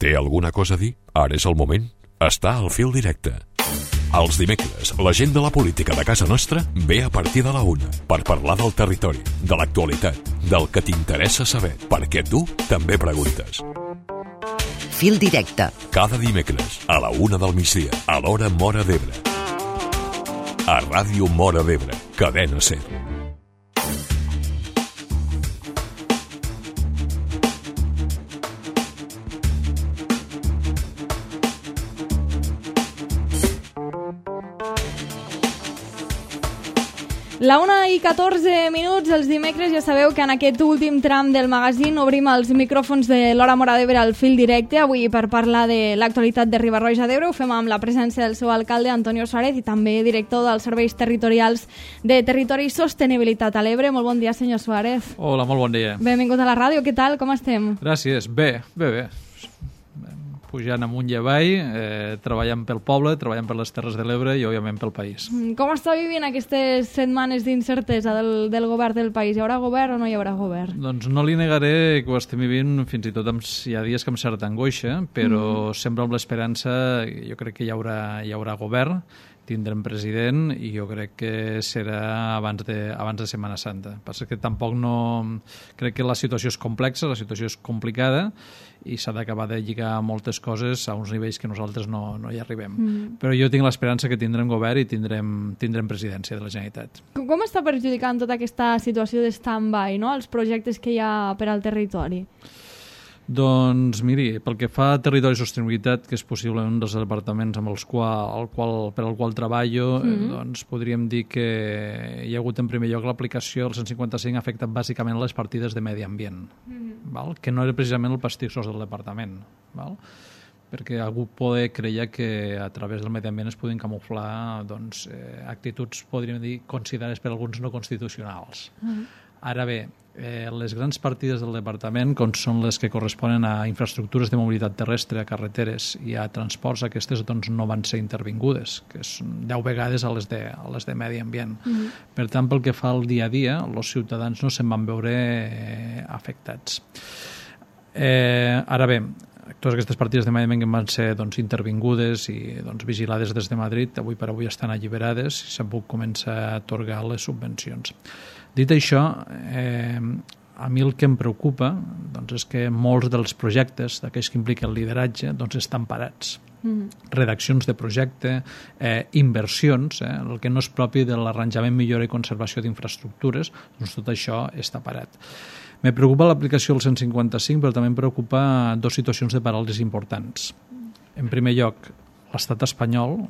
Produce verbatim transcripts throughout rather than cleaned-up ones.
Té alguna cosa a dir? Ara és el moment. Està al fil directe. Els dimecres, la gent de la política de casa nostra ve a partir de la una per parlar del territori, de l'actualitat, del que t'interessa saber, perquè tu també preguntes. Fil directe. Cada dimecres, a la una del migdia, a l'hora Móra d'Ebre. A Ràdio Móra d'Ebre, Cadena Ser. La una i catorze minuts, els dimecres, ja sabeu que en aquest últim tram del magazín obrim els micròfons de l'Hora Móra d'Ebre al fil directe, avui per parlar de l'actualitat de Riba-roja d'Ebre. Ho fem amb la presència del seu alcalde, Antonio Suárez, i també director dels serveis territorials de Territori i Sostenibilitat a l'Ebre. Molt bon dia, senyor Suárez. Hola, molt bon dia. Benvingut a la ràdio, què tal, com estem? Gràcies, bé, bé, bé. Pujant amunt i avall, eh, treballant pel poble, treballant per les Terres de l'Ebre i, òbviament, pel país. Com està vivint aquestes setmanes d'incertesa del, del govern del país? Hi haurà govern o no hi haurà govern? Doncs no li negaré que ho estem vivint fins i tot amb, hi ha dies que amb certa angoixa, però mm. sempre amb l'esperança, jo crec que hi haurà, hi haurà govern, tindrem president i jo crec que serà abans de, abans de Setmana Santa. Passa que tampoc no... Crec que la situació és complexa, la situació és complicada i s'ha d'acabar de lligar moltes coses a uns nivells que nosaltres no, no hi arribem. Mm. Però jo tinc l'esperança que tindrem govern i tindrem, tindrem presidència de la Generalitat. Com està perjudicant tota aquesta situació de stand-by, no?, els projectes que hi ha per al territori? Doncs miri, pel que fa a Territori i Sostenibilitat, que és possible un dels departaments amb els qual, el qual, per al qual treballo, mm-hmm. doncs podríem dir que hi ha hagut en primer lloc l'aplicació del cent cinquanta-cinc ha afectat bàsicament les partides de medi ambient, mm-hmm. val? Que no era precisament el pastissós del departament, val? Perquè algú poder creia que a través del medi ambient es podien camuflar doncs, eh, actituds, podríem dir, considerades per alguns no constitucionals. Mm-hmm. Ara bé, eh, les grans partides del departament, com són les que corresponen a infraestructures de mobilitat terrestre, a carreteres i a transports, aquestes doncs, no van ser intervingudes, que són deu vegades a les de, a les de medi ambient. Mm-hmm. Per tant, pel que fa al dia a dia, els ciutadans no se'n van veure eh, afectats. Eh, ara bé, totes aquestes partides de medi ambient van ser doncs, intervingudes i doncs, vigilades des de Madrid, avui per avui estan alliberades i s'han pogut començar a atorgar les subvencions. Dit això, eh, a mi el que em preocupa doncs, és que molts dels projectes, d'aquells que impliquen el lideratge, doncs, estan parats. Mm-hmm. Redaccions de projecte, eh, inversions, eh, el que no és propi de l'arranjament, millora i conservació d'infraestructures, doncs tot això està parat. Me preocupa l'aplicació del cent cinquanta-cinc, però també em preocupa dues situacions de paràlisi importants. En primer lloc, l'estat espanyol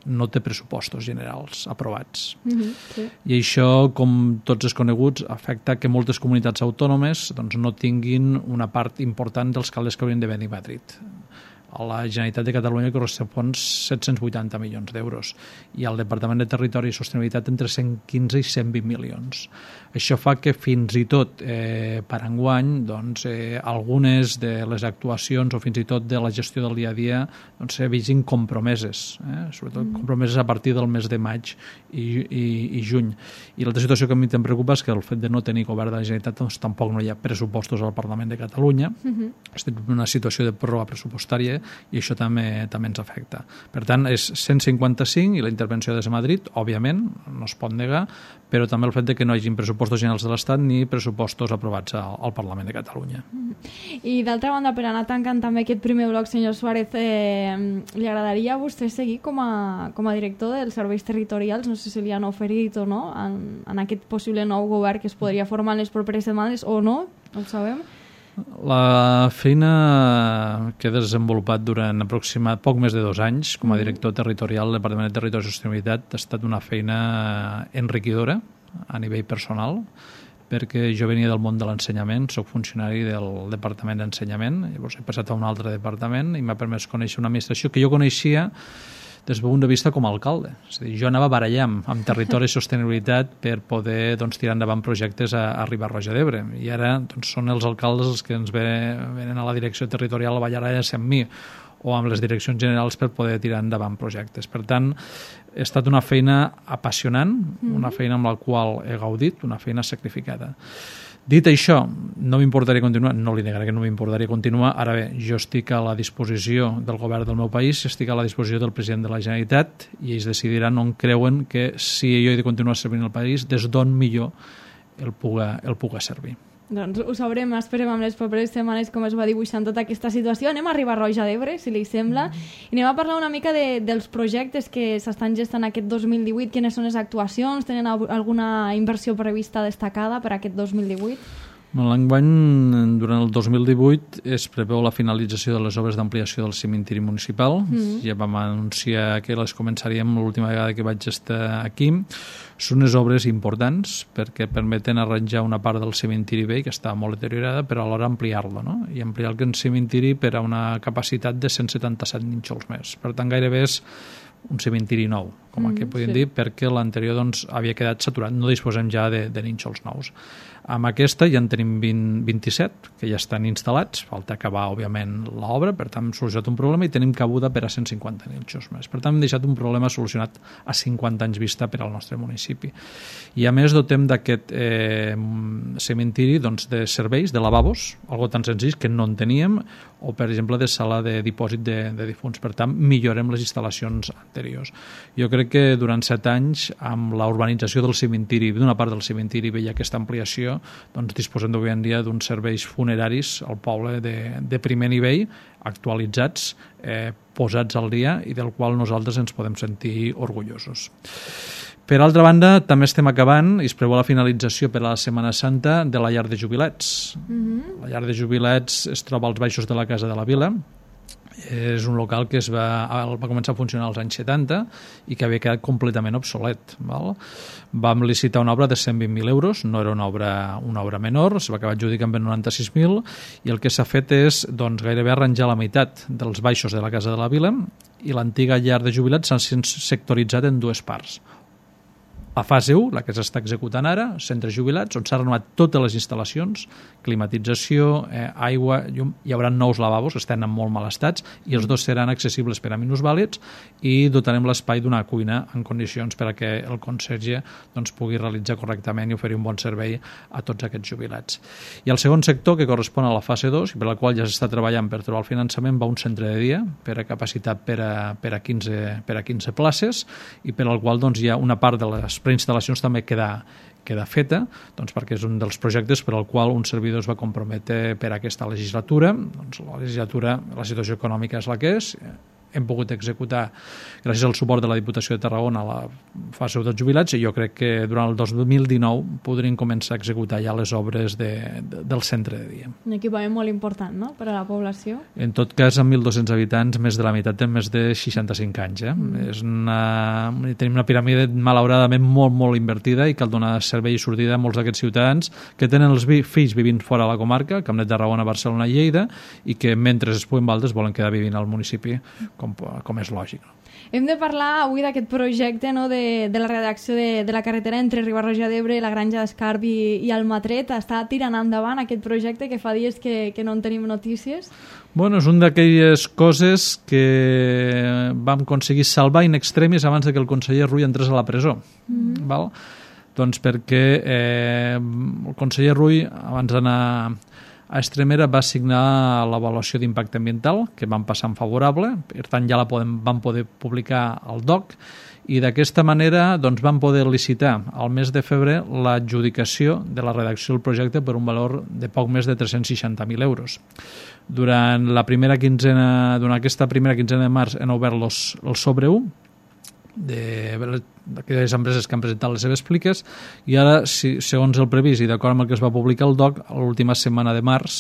no té pressupostos generals aprovats. Mm-hmm, sí. I això, com tots és coneguts, afecta que moltes comunitats autònomes doncs, no tinguin una part important dels calés que haurien de venir a Madrid. A la Generalitat de Catalunya correspon set-cents vuitanta milions d'euros i al Departament de Territori i Sostenibilitat entre cent quinze i cent vint milions. Això fa que fins i tot eh, per enguany doncs, eh, algunes de les actuacions o fins i tot de la gestió del dia a dia doncs, se vegin compromeses, eh? sobretot mm. compromeses a partir del mes de maig i, i, i juny. I l'altra situació que a mi em preocupa és que el fet de no tenir govern de la Generalitat doncs, tampoc no hi ha pressupostos al Parlament de Catalunya. Mm-hmm. Estem en una situació de pròrroga pressupostària i això també també ens afecta. Per tant, és cent cinquanta-cinc i la intervenció des de Madrid, òbviament, no es pot negar, però també el fet de que no hi hagi pressupostos generals de l'Estat ni pressupostos aprovats al, al Parlament de Catalunya. I d'altra banda, per anar tancant també aquest primer bloc, senyor Suárez, eh, li agradaria a vostè seguir com a, com a director dels serveis territorials? No sé si li han oferit o no en, en aquest possible nou govern que es podria formar en les properes setmanes o no, no ho sabem. La feina que he desenvolupat durant aproximadament poc més de dos anys com a director territorial del Departament de Territori i Sostenibilitat ha estat una feina enriquidora a nivell personal, perquè jo venia del món de l'ensenyament, soc funcionari del Departament d'Ensenyament, llavors he passat a un altre departament i m'ha permès conèixer una administració que jo coneixia des del punt de vista com a alcalde. És a dir, jo anava barallant amb Territori i Sostenibilitat per poder doncs, tirar endavant projectes a, a Riba-roja d'Ebre. I ara doncs, són els alcaldes els que ens ve, venen a la direcció territorial a ballar amb mi o amb les direccions generals per poder tirar endavant projectes. Per tant, ha estat una feina apassionant, una feina amb la qual he gaudit, una feina sacrificada. Dit això, no m'importaria continuar, no li negaré que no m'importaria continuar, ara bé, jo estic a la disposició del govern del meu país, estic a la disposició del president de la Generalitat i ells decidiran on creuen que si jo he de continuar servint el país, des d'on millor el puga, el puga servir. Doncs ho sabrem, esperem amb les properes setmanes com es va dibuixant tota aquesta situació. Anem a Riba-roja d'Ebre, si li sembla, i anem a parlar una mica de, dels projectes que s'estan gestant aquest dos mil divuit, quines són les actuacions, tenen alguna inversió prevista destacada per aquest dos mil divuit? L'enguany, durant el dos mil divuit, es preveu la finalització de les obres d'ampliació del cementiri municipal. Mm. Ja vam anunciar que les començaríem l'última vegada que vaig estar aquí. Són unes obres importants perquè permeten arranjar una part del cementiri vell que està molt deteriorada, però alhora ampliar-lo, no? I ampliar el cementiri per a una capacitat de cent setanta-set nínxols més. Per tant, gairebé és un cementiri nou, com mm, que podríem sí. dir, perquè l'anterior doncs, havia quedat saturat. No disposem ja de, de nínxols nous. Amb aquesta ja en tenim vint, vint-i-set, que ja estan instal·lats, falta acabar, òbviament, l'obra, per tant, hem solucionat un problema i tenim cabuda per a cent cinquanta nínxols més. Per tant, hem deixat un problema solucionat a cinquanta anys vista per al nostre municipi. I, a més, dotem d'aquest eh, cementiri doncs, de serveis, de lavabos, algo tan senzill que no en teníem, o, per exemple, de sala de dipòsit de, de difunts. Per tant, millorem les instal·lacions anteriors. Jo crec que durant set anys, amb la urbanització del cementiri, d'una part del cementiri, veia aquesta ampliació, doncs disposem d'avui en dia d'uns serveis funeraris al poble de, de primer nivell, actualitzats, eh, posats al dia i del qual nosaltres ens podem sentir orgullosos. Per altra banda, també estem acabant i es preveu la finalització per a la Setmana Santa de la llar de jubilats. Mm-hmm. La llar de jubilats es troba als baixos de la Casa de la Vila. És un local que es va, va començar a funcionar als anys setanta i que havia quedat completament obsolet. Val? Vam licitar una obra de cent vint mil euros, no era una obra, una obra menor, es va acabar adjudicant per noranta-sis mil i el que s'ha fet és doncs, gairebé arranjar la meitat dels baixos de la Casa de la Vila i l'antiga llar de jubilats s'ha sectoritzat en dues parts. La fase u, la que s'està executant ara, centres jubilats, on s'han renovat totes les instal·lacions, climatització, eh, aigua, llum, hi haurà nous lavabos, estan en molt mal estats, i els dos seran accessibles per a minusvàlids i dotarem l'espai d'una cuina en condicions per a que el conserge doncs, pugui realitzar correctament i oferir un bon servei a tots aquests jubilats. I el segon sector, que correspon a la fase dos, i per la qual ja s'està treballant per trobar el finançament, va un centre de dia per a capacitat per a, per a, quinze, per a quinze places i per al qual doncs, hi ha una part de les preinstal·lacions també queda, queda feta, doncs perquè és un dels projectes per al qual un servidor es va comprometre per a aquesta legislatura. Doncs la legislatura, la situació econòmica és la que és, hem pogut executar, gràcies al suport de la Diputació de Tarragona, la fase dels jubilats, i jo crec que durant el dos mil dinou podrien començar a executar ja les obres de, de, del centre de dia. Un equipament molt important, no?, per a la població. En tot cas, amb mil dos-cents habitants, més de la meitat té més de seixanta-cinc anys. Eh? Mm. És una, tenim una piràmide malauradament molt, molt invertida i cal donar servei i sortida a molts d'aquests ciutadans que tenen els vi, fills vivint fora de la comarca, Camp de Tarragona, Barcelona i Lleida, i que mentre es puguen valdes volen quedar vivint al municipi, com, com és lògic. Hem de parlar avui d'aquest projecte, no?, de, de la redacció de, de la carretera entre Riba-roja d'Ebre, la Granja d'Escarp i, i Almatret. Està tirant endavant aquest projecte que fa dies que, que no en tenim notícies? Bueno, és una d'aquelles coses que vam aconseguir salvar in extremis abans de que el conseller Rull entrés a la presó. Mm-hmm. Val? Doncs perquè eh, el conseller Rull, abans d'anar a Extremera, va signar l'avaluació d'impacte ambiental, que van passar en favorable, per tant ja la podem, van poder publicar al D O C, i d'aquesta manera doncs, van poder licitar al mes de febrer l'adjudicació de la redacció del projecte per un valor de poc més de tres-cents seixanta mil euros. Durant la primera quinzena, durant aquesta primera quinzena de març han obert los, el sobre u, d'aquelles empreses que han presentat les seves pliques, i ara, si, segons el previst i d'acord amb el que es va publicar al D O C, a l'última setmana de març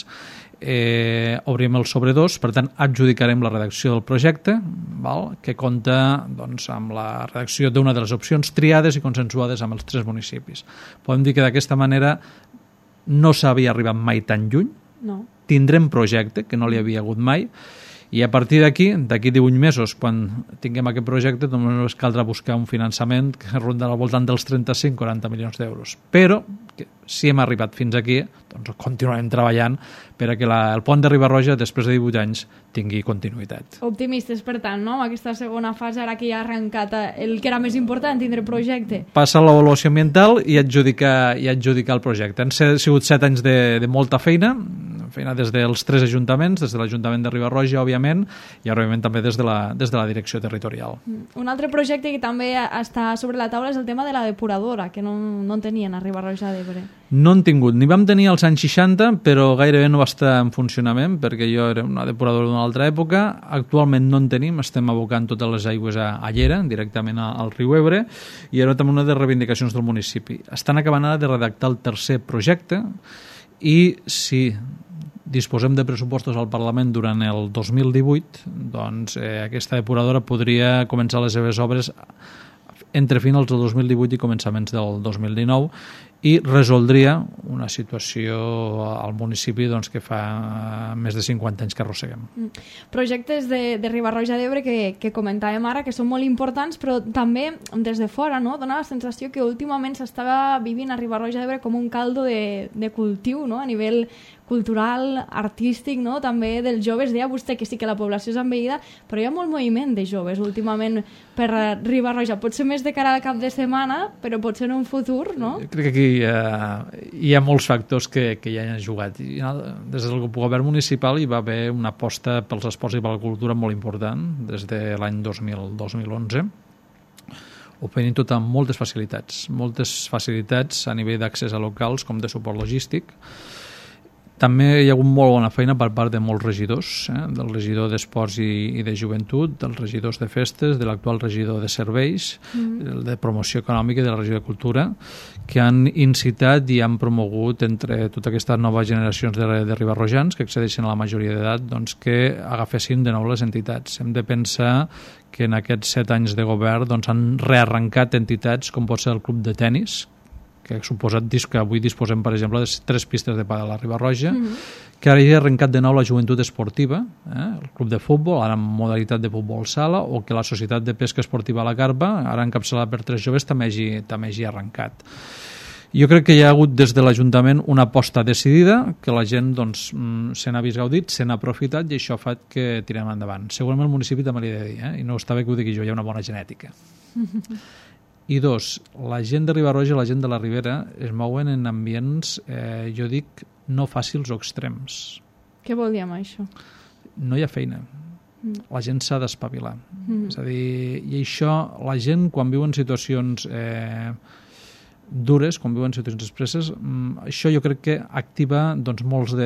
eh, obrim el sobre dos, per tant adjudicarem la redacció del projecte, val? Que compta doncs, amb la redacció d'una de les opcions triades i consensuades amb els tres municipis. Podem dir que d'aquesta manera no s'havia arribat mai tan lluny, no. Tindrem projecte, que no li havia hagut mai, I a partir d'aquí, d'aquí divuit mesos, quan tinguem aquest projecte, només caldrà buscar un finançament que rondarà al voltant dels trenta-cinc a quaranta milions d'euros. Però, que, si hem arribat fins aquí, doncs continuarem treballant per a que la, el pont de Riba-roja, després de divuit anys, tingui continuïtat. Optimistes, per tant, no? Amb aquesta segona fase, ara que ja ha arrencat el que era més important, tindre projecte. Passa l'avaluació ambiental i adjudicar, i adjudicar el projecte. Han sigut set anys de, de molta feina, feina des dels tres ajuntaments, des de l'Ajuntament de Riba-roja, òbviament, i òbviament també des de la, des de la direcció territorial. Un altre projecte que també està sobre la taula és el tema de la depuradora, que no, no en tenien a Riba-roja d'Ebre. No en tingut. N'hi vam tenir als anys seixanta, però gairebé no va estar en funcionament, perquè jo era una depuradora d'una altra època. Actualment no en tenim, estem abocant totes les aigües a, a Llera, directament al riu Ebre, i era també una de les reivindicacions del municipi. Estan acabant ara de redactar el tercer projecte, i si disposem de pressupostos al Parlament durant el dos mil divuit, doncs eh, aquesta depuradora podria començar les seves obres entre finals del dos mil divuit i començaments del dos mil dinou, i resoldria una situació al municipi doncs, que fa més de cinquanta anys que arrosseguem. Mm. Projectes de, de Riba-roja d'Ebre que, que comentàvem ara, que són molt importants, però també des de fora, no? Dona la sensació que últimament s'estava vivint a Riba-roja d'Ebre com un caldo de, de cultiu, no? A nivell cultural, artístic, no? També dels joves. Deia vostè que sí que la població és envellida, però hi ha molt moviment de joves últimament per Riba-roja. Pot ser més de cara al cap de setmana, però pot ser en un futur, no? Jo crec que aquí eh, hi ha molts factors que, que ja hi han jugat. I, des del govern municipal hi va haver una aposta pels esports i per la cultura molt important, des de l'any dos mil onze. Oferint tot amb moltes facilitats. Moltes facilitats a nivell d'accés a locals com de suport logístic. També hi ha hagut molt bona feina per part de molts regidors, eh? Del regidor d'Esports i, i de Joventut, dels regidors de Festes, de l'actual regidor de Serveis, mm. de Promoció Econòmica i de la regió de Cultura, que han incitat i han promogut entre totes aquestes noves generacions de, de ribarrojans que accedeixen a la majoria d'edat, doncs, que agafessin de nou les entitats. Hem de pensar que en aquests set anys de govern doncs, han rearrencat entitats com pot ser el Club de Tenis, que ha suposat que avui disposem, per exemple, de tres pistes de pàdel a Riba-roja, mm-hmm. que ara hi ha arrencat de nou la joventut esportiva, eh? El club de futbol, ara en modalitat de futbol sala, o que la Societat de Pesca Esportiva a la Carpa, ara encapçalada per tres joves, també hagi, també hagi arrencat. Jo crec que hi ha hagut des de l'Ajuntament una aposta decidida, que la gent doncs, se n'ha vist gaudit, se n'ha aprofitat, i això fa que tirem endavant. Segurament el municipi també li he de dir, eh? I no està bé que ho digui jo, hi ha una bona genètica. I dos, la gent de Riba-roja i la gent de la Ribera es mouen en ambients, eh, jo dic, no fàcils o extrems. Què vol dir amb això? No hi ha feina. Mm. La gent s'ha d'espavilar. Mm. És a dir, i això, la gent, quan viu en situacions eh, dures, quan viuen situacions expresses, això jo crec que activa doncs, molts de,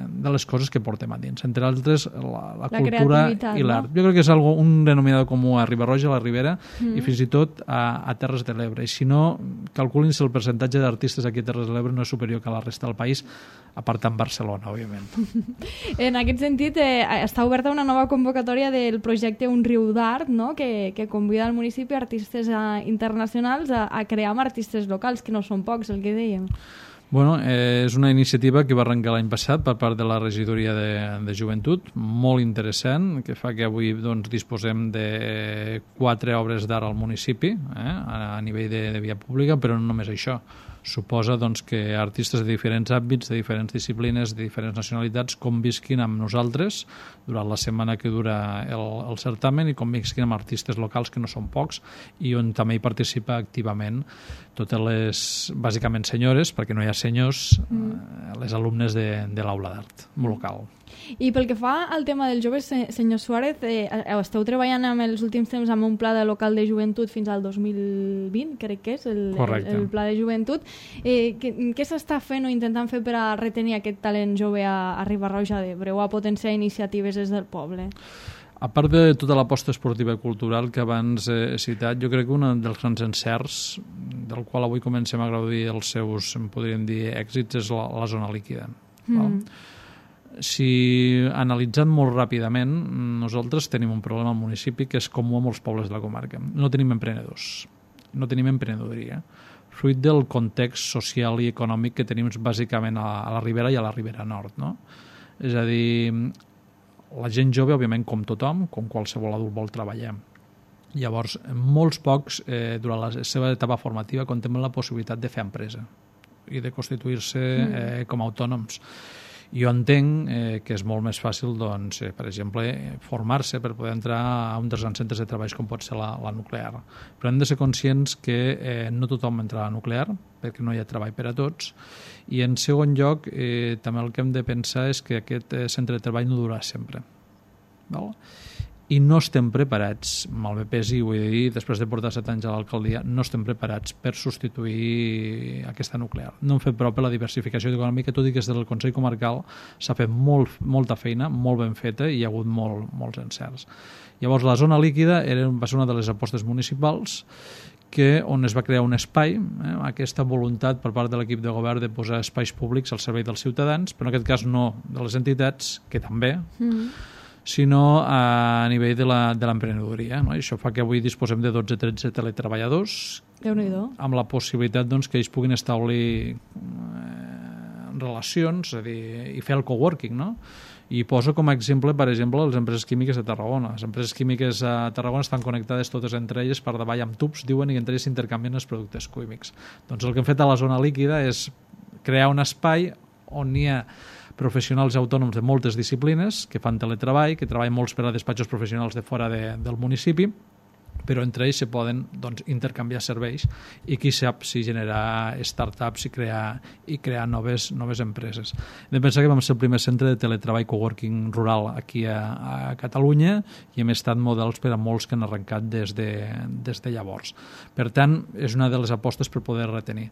de les coses que portem a dins, entre altres la, la, la cultura i l'art. No? Jo crec que és algo, un denominador comú a Riba-roja, a la Ribera, mm. i fins i tot a, a Terres de l'Ebre. I si no, calculin si el percentatge d'artistes aquí a Terres de l'Ebre no és superior que a la resta del país, a part en Barcelona, òbviament. En aquest sentit, eh, està oberta una nova convocatòria del projecte Un riu d'art, no? que, que convida al municipi artistes a, internacionals a, a crear amb artistes locals, que no són pocs, el que dèiem. Bueno, eh, és una iniciativa que va arrencar l'any passat per part de la regidoria de, de joventut, molt interessant, que fa que avui doncs, disposem de quatre obres d'art al municipi, eh, a, a nivell de, de via pública, però no només això. Suposa doncs, que artistes de diferents àmbits, de diferents disciplines, de diferents nacionalitats, convisquin amb nosaltres durant la setmana que dura el, el certamen i convisquin amb artistes locals, que no són pocs, i on també hi participa activament totes les, bàsicament senyores, perquè no hi ha senyors, mm. les alumnes de, de l'aula d'art local. I pel que fa al tema dels joves, senyor Suárez, eh, esteu treballant en els últims temps amb un pla de local de joventut fins al dos mil vint, crec que és, el, el, el pla de joventut. Eh, què què s'està fent o intentant fer per a retenir aquest talent jove a, a Riba-roja d'Ebre o a potenciar iniciatives des del poble? A part de tota l'aposta esportiva i cultural que abans he citat, jo crec que un dels grans encerts, del qual avui comencem a gaudir els seus, en podríem dir, èxits, és la, la zona líquida. Mm. Val? Si analitzant molt ràpidament, nosaltres tenim un problema al municipi que és comú a molts pobles de la comarca. No tenim emprenedors, no tenim emprenedoria, fruit del context social i econòmic que tenim bàsicament a la Ribera i a la Ribera Nord. No? És a dir, la gent jove, òbviament, com tothom, com qualsevol adult vol treballar. Llavors, molts pocs, eh, durant la seva etapa formativa, contemplen la possibilitat de fer empresa i de constituir-se eh, com a autònoms. Jo entenc eh, que és molt més fàcil, doncs, eh, per exemple, formar-se per poder entrar a un dels grans centres de treball com pot ser la, la nuclear. Però hem de ser conscients que eh, no tothom entra a la nuclear, perquè no hi ha treball per a tots, i en segon lloc, eh, també el que hem de pensar és que aquest eh, centre de treball no durarà sempre. Val? I no estem preparats, mal bé pesi, vull dir, després de portar set anys a l'alcaldia, no estem preparats per substituir aquesta nuclear. No hem fet prou per la diversificació econòmica, tot i que des del Consell Comarcal s'ha fet molt, molta feina, molt ben feta, i hi ha hagut molt, molts encerts. Llavors, la zona líquida era, va ser una de les apostes municipals que, on es va crear un espai, eh, aquesta voluntat per part de l'equip de govern de posar espais públics al servei dels ciutadans, però en aquest cas no de les entitats, que també, mm. sinó a nivell de l'emprenedoria. No? Això fa que avui disposem de dotze o tretze teletreballadors, amb la possibilitat doncs, que ells puguin establir eh, relacions, és a dir, i fer el coworking, no? I poso com a exemple, per exemple, les empreses químiques de Tarragona. Les empreses químiques a Tarragona estan connectades totes entre elles per davall amb tubs, diuen, i entre elles intercanvien els productes químics. Doncs el que hem fet a la zona líquida és crear un espai on hi ha professionals autònoms de moltes disciplines que fan teletreball, que treballen molts per a despatxos professionals de fora de, del municipi, però entre ells se poden doncs, intercanviar serveis i qui sap si generar startups i crear, i crear noves, noves empreses. Hem de pensar que vam ser el primer centre de teletreball coworking rural aquí a, a Catalunya i hem estat models per a molts que han arrencat des de, des de llavors. Per tant, és una de les apostes per poder retenir.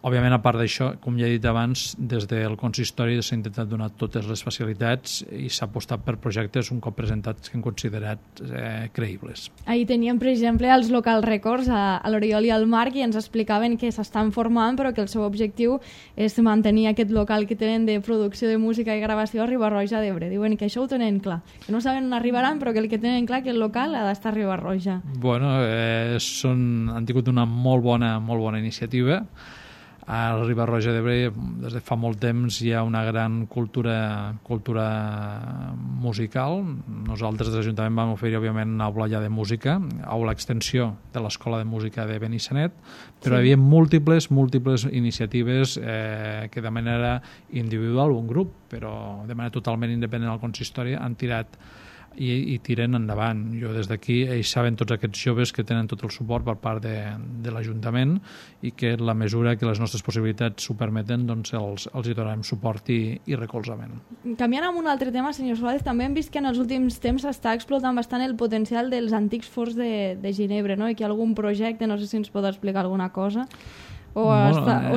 Òbviament, a part d'això, com ja he dit abans, des del consistori s'ha intentat donar totes les facilitats i s'ha apostat per projectes un cop presentats que hem considerat eh, creïbles. Ahir teníem, per exemple, els local records a, a l'Oriol i al Marc i ens explicaven que s'estan formant però que el seu objectiu és mantenir aquest local que tenen de producció de música i gravació a Riba-roja d'Ebre. Diuen que això ho tenen clar, que no saben on arribaran però que el que tenen clar que el local ha d'estar a Riba-roja. Bueno, eh, són, han tingut una molt bona, molt bona iniciativa. A Riba-roja d'Ebre des de fa molt temps hi ha una gran cultura, cultura musical. Nosaltres des de l'Ajuntament vam oferir òbviament una aula ja de música, aula extensió de l'Escola de Música de Benissanet, però sí. Hi havia múltiples, múltiples iniciatives eh, que de manera individual o un grup, però de manera totalment independent al consistori han tirat I, i tiren endavant. Jo des d'aquí, ells saben tots aquests joves que tenen tot el suport per part de, de l'Ajuntament i que en la mesura que les nostres possibilitats ho permeten, doncs els, els hi donarem suport i, i recolzament. Canviant amb un altre tema, senyor Suárez, també hem vist que en els últims temps s'està explotant bastant el potencial dels antics forns de, de Ginebra, no? I que hi ha algun projecte, no sé si ens pot explicar alguna cosa, o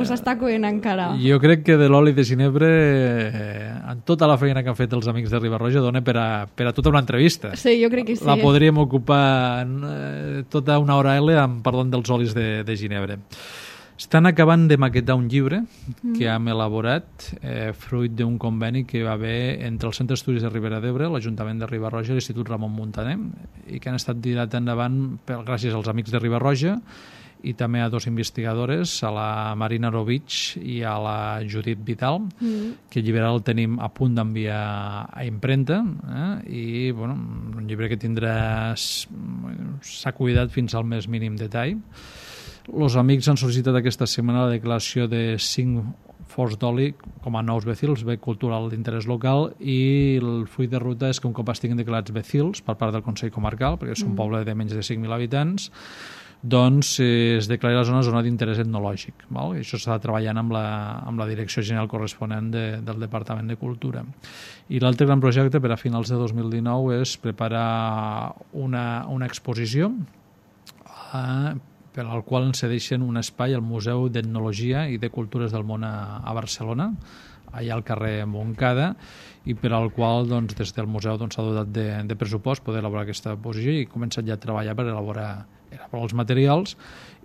s'està eh, coent encara? Jo crec que de l'oli de Ginebre, eh, en tota la feina que han fet els amics de Riba-roja, dona per a, per a tota una entrevista. Sí, jo crec que sí. La podríem ocupar eh, tota una hora L amb parlant dels olis de, de Ginebre. Estan acabant de maquetar un llibre mm. que hem elaborat eh, fruit d'un conveni que va haver entre el Centre d'Estudis de Ribera d'Ebre, l'Ajuntament de Riba-roja i l'Institut Ramon Muntaner, i que han estat tirat endavant per, gràcies als amics de Riba-roja i també a dos investigadores, a la Marina Rovich i a la Judit Vidal, mm. que el llibre el tenim a punt d'enviar a impremta, eh? I bueno, un llibre que tindrà s'ha cuidat fins al més mínim detall. Els amics han sol·licitat aquesta setmana la declaració de cinc forns d'oli com a nous becils, bé cultural d'interès local, i el full de ruta és que un cop estiguin declarats becils per part del Consell Comarcal, perquè és un mm. poble de menys de cinc mil habitants, doncs eh, es declara la zona zona d'interès etnològic. Val? I això s'està treballant amb la, amb la direcció general corresponent de, del Departament de Cultura. I l'altre gran projecte per a finals de dos mil dinou és preparar una, una exposició eh, per al qual ens cedeixen un espai al Museu d'Etnologia i de Cultures del Món a, a Barcelona, allà al carrer Montcada, i per al qual doncs, des del museu s'ha doncs, dotat de, de pressupost poder elaborar aquesta exposició i començat ja a treballar per elaborar era per als materials,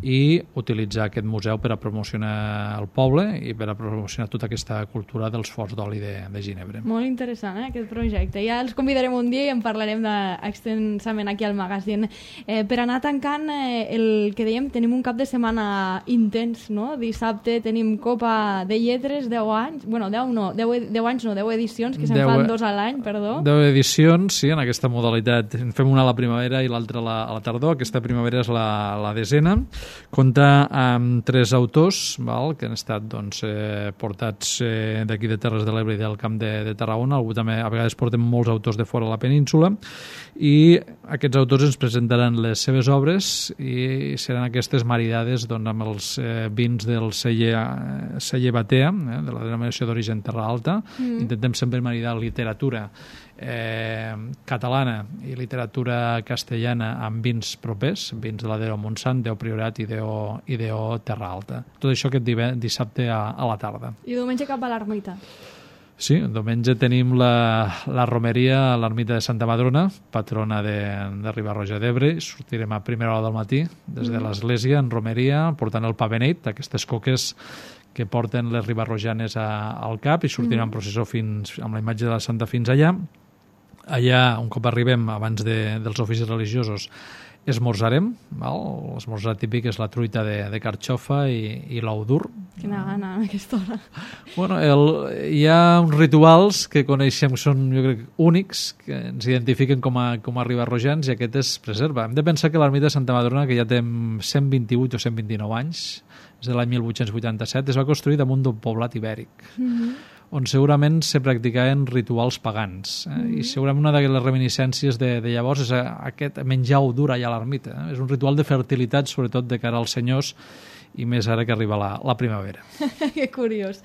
i utilitzar aquest museu per a promocionar el poble i per a promocionar tota aquesta cultura dels forts d'oli de, de Ginebra. Molt interessant, eh, aquest projecte. Ja els convidarem un dia i en parlarem de, extensament aquí al magazín. Eh, per anar tancant, eh, el que dèiem, tenim un cap de setmana intens, no? Dissabte tenim Copa de Lletres, deu anys, bueno, deu no, deu, deu anys no, deu edicions, que se'n fan dos a l'any, perdó. deu edicions, sí, en aquesta modalitat. En fem una a la primavera i l'altra a la, a la tardor. Aquesta primavera és la, la desena. Compta amb tres autors, val, que han estat doncs, eh, portats eh, d'aquí de Terres de l'Ebre i del Camp de, de Tarragona. Algú també, a vegades portem molts autors de fora de la península, i aquests autors ens presentaran les seves obres i seran aquestes maridades doncs, amb els eh, vins del celler, eh, celler Batea, eh, de la denominació d'origen Terra Alta. Mm. Intentem sempre maridar literatura eh, catalana i literatura castellana amb vins propers, vins de la D O Montsant, D O Priorat i D O, i D O Terra Alta. Tot això aquest dissabte a, a la tarda. I diumenge cap a l'ermita. Sí, diumenge tenim la, la romeria a l'ermita de Santa Madrona, patrona de, de Riba-roja d'Ebre. Sortirem a primera hora del matí des de l'església en romeria, portant el pa beneit, aquestes coques que porten les ribarrojanes a, al cap, i sortirem mm. en processó fins, amb la imatge de la Santa fins allà. Allà, un cop arribem, abans de, dels oficis religiosos, esmorzarem, val? L'esmorzar típic és la truita de, de carxofa i, i l'ou dur. Quina gana a aquesta hora. Bueno, el, hi ha uns rituals que coneixem que són, jo crec, únics, que ens identifiquen com a, com a ribarrojans, i aquest es preserva. Hem de pensar que l'ermita de Santa Madrona, que ja té cent vint-i-vuit o cent vint-i-nou anys, és de l'any mil vuit-cents vuitanta-set, es va construir damunt d'un poblat ibèric, mm-hmm. on segurament se practicaven rituals pagans. Eh? Mm-hmm. I segurament una de les reminiscències de, de llavors és aquest menjar ou dur allà a l'ermita. Eh? És un ritual de fertilitat, sobretot de cara als senyors, i més ara que arriba la, la primavera. Que curiós.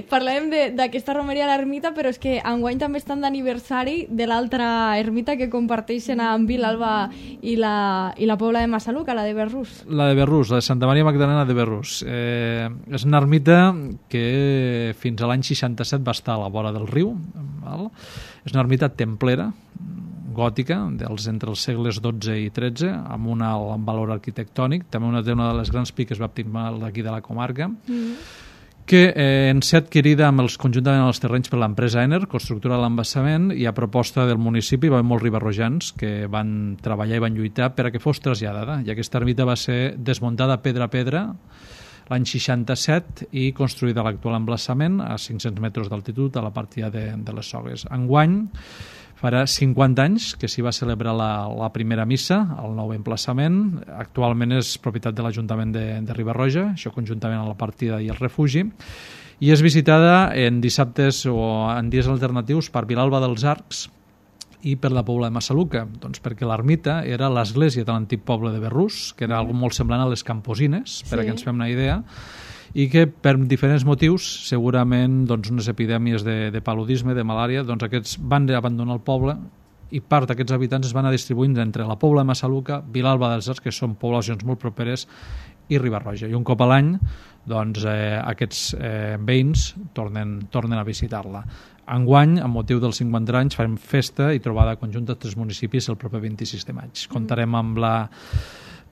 Parlem d'aquesta romeria a l'ermita, però és que enguany també estan d'aniversari de l'altra ermita que comparteixen amb Vilalba i la, i la Pobla de Massaluca, la de Berrús. La de Berrús, la de Santa Maria Magdalena de Berrús. Eh, és una ermita que fins a l'any seixanta-set va estar a la vora del riu. Val? És una ermita templera, gòtica, dels, entre els segles dotze i tretze, amb un alt valor arquitectònic. També una, una de les grans piques baptismals d'aquí de la comarca, mm. que eh, en ser adquirida amb els, conjuntament amb els terrenys per l'empresa Ener, constructora de l'embassament, i a proposta del municipi va haver molts ribarrojans que van treballar i van lluitar per a que fos traslladada. I aquesta ermita va ser desmuntada pedra a pedra l'any seixanta-set i construïda a l'actual emplaçament a cinc-cents metres d'altitud a la partida de, de les Sogues. Enguany farà cinquanta anys que s'hi va celebrar la, la primera missa al nou emplaçament. Actualment és propietat de l'Ajuntament de, de Riba-roja, això conjuntament amb la partida i el refugi, i és visitada en dissabtes o en dies alternatius per Vilalba dels Arcs i per la Pobla de Massaluca, doncs perquè l'ermita era l'església de l'antic poble de Berrús, que era algo molt semblant a les Camposines, per sí. a que ens fem una idea, i que per diferents motius, segurament doncs, unes epidèmies de, de paludisme, de malària, doncs aquests van abandonar el poble i part d'aquests habitants es van a distribuint entre la Pobla de Massaluca, Vilalba dels Arcs, que són poblacions molt properes, i Riba-roja. I un cop a l'any doncs, eh, aquests eh, veïns tornen, tornen a visitar-la. Enguany, amb motiu dels cinquanta anys, farem festa i trobada conjunta dels tres municipis el proper vint-i-sis de maig. Comptarem amb la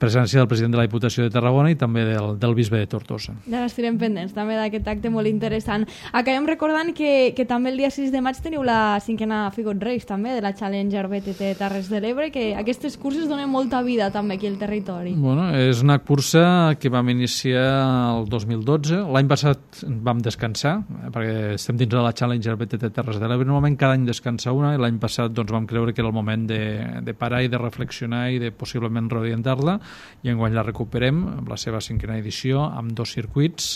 presència del president de la Diputació de Tarragona i també del, del bisbe de Tortosa. Ja n'estirem pendents també d'aquest acte molt interessant. Acabem recordant que, que també el dia sis de maig teniu la cinquena Figot Race també de la Challenger B T T Terres de l'Ebre, que aquestes curses donen molta vida també aquí al territori. Bueno, és una cursa que vam iniciar el dos mil dotze. L'any passat vam descansar, perquè estem dins de la Challenger B T T Terres de l'Ebre. Normalment cada any descansa una, i l'any passat doncs, vam creure que era el moment de, de parar i de reflexionar i de possiblement reorientar-la, i enguany la recuperem amb la seva cinquena edició, amb dos circuits.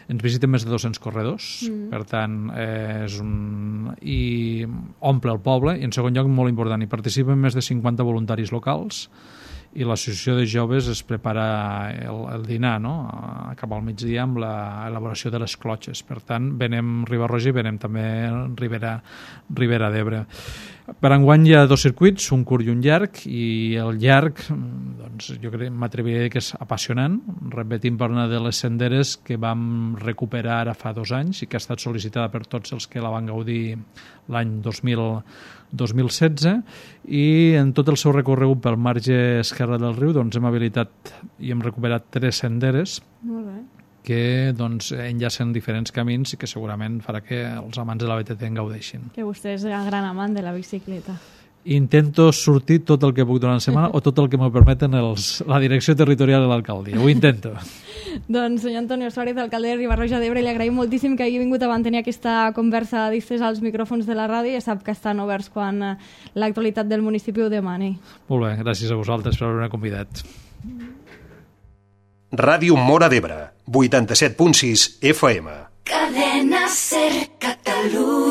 Ens visiten més de dos-cents corredors, mm. per tant, eh, és un... i omple el poble, i en segon lloc, molt important, hi participen més de cinquanta voluntaris locals, i l'associació de joves es prepara el, el dinar, no?, cap al migdia amb l'elaboració de les clotxes. Per tant, venem Riba-roja i venem també Ribera, Ribera d'Ebre. Per enguany hi ha dos circuits, un curt i un llarg, i el llarg, doncs, jo crec, m'atreviré que és apassionant, repetint per una de les senderes que vam recuperar ara fa dos anys i que ha estat sol·licitada per tots els que la van gaudir l'any dos mil dos mil setze, i en tot el seu recorregut pel marge esquerre del riu doncs, hem habilitat i hem recuperat tres senderes Molt bé. que doncs, enllacen diferents camins i que segurament farà que els amants de la B T T en gaudeixin. Que vostè és el gran amant de la bicicleta. Intento sortir tot el que puc durant la setmana o tot el que me permeten els, la direcció territorial de l'alcaldia. Ho intento. Doncs, senyor Antonio Suárez, alcalde de Riba-roja d'Ebre, li agraïm moltíssim que hagi vingut a mantenir aquesta conversa distès als micròfons de la ràdio i ja sap que estan oberts quan l'actualitat del municipi ho demani. Molt bé, gràcies a vosaltres per haver-me convidat. Ràdio Móra d'Ebre, vuitanta-set punt sis F M. Cadena Ser Catalunya.